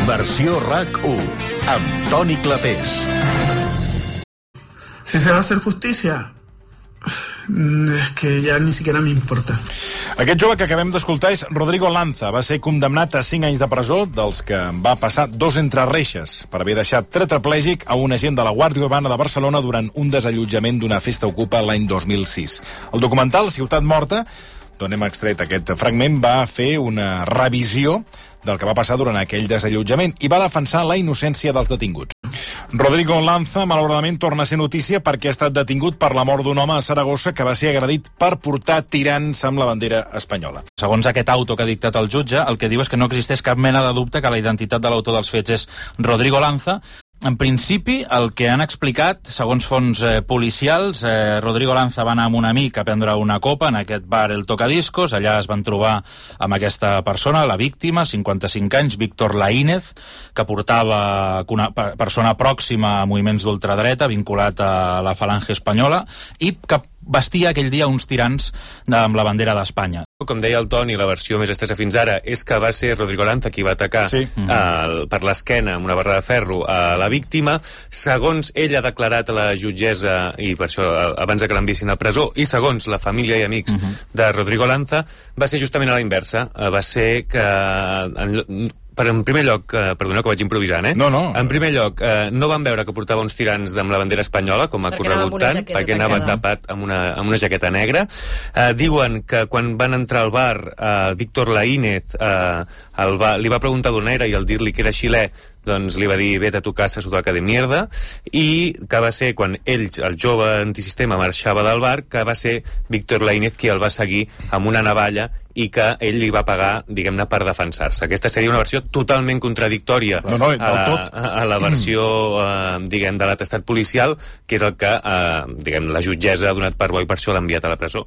Versió RAC1 amb Toni Clapés. Si se va a hacer justicia, es que ya ni siquiera me importa. Aquest jove que acabem d'escoltar és Rodrigo Lanza. Va ser condemnat a 5 anys de presó, dels que va passar 2 entre reixes, per haver deixat tetraplègic a un agent de la Guàrdia Urbana de Barcelona durant un desallotjament d'una festa ocupa l'any 2006. El documental Ciutat Morta, d'on hem extret aquest fragment, va fer una revisió del que va passar durant aquell desallotjament i va defensar la innocència dels detinguts. Rodrigo Lanza, malauradament, torna a ser notícia perquè ha estat detingut per la mort d'un home a Saragossa que va ser agredit per portar tirants amb la bandera espanyola. Segons aquest auto que ha dictat el jutge, el que diu és que no existeix cap mena de dubte que la identitat de l'autor dels fets és Rodrigo Lanza. En principi, el que han explicat, segons fonts policials, Rodrigo Lanza va anar amb un amic a prendre una copa en aquest bar El Tocadiscos. Allà es van trobar amb aquesta persona, la víctima, 55 anys, Víctor Laínez, que portava una persona pròxima a moviments d'ultradreta, vinculat a la Falange Espanyola, i que vestia aquell dia uns tirants amb la bandera d'Espanya. Com deia el Toni, la versió més estesa fins ara és que va ser Rodrigo Lanza qui va atacar per l'esquena amb una barra de ferro a la víctima. Segons ell ha declarat a la jutgessa, i per això abans que l'enviessin a presó, i segons la família i amics de Rodrigo Lanza, va ser justament a la inversa. Va ser que en primer lloc, perdoneu que vaig improvisant, No. En primer lloc, no van veure que portava uns tirants amb la bandera espanyola, com ha corregut tant, perquè anava tapat amb una jaqueta negra. Diuen que quan van entrar al bar, Víctor Laínez li va preguntar d'on era, i al dir-li que era xilè, doncs li va dir vete a tu casa, sudaca de mierda, i que va ser quan ell, el jove antisistema, marxava del bar, que va ser Víctor Laínez qui el va seguir amb una navalla i que ell li va pagar, diguem-ne, per defensar-se. Aquesta seria una versió totalment contradictòria a la versió, diguem, de l'atestat policial, que és el que, diguem, la jutgessa ha donat per bo i per això l'ha enviat a la presó.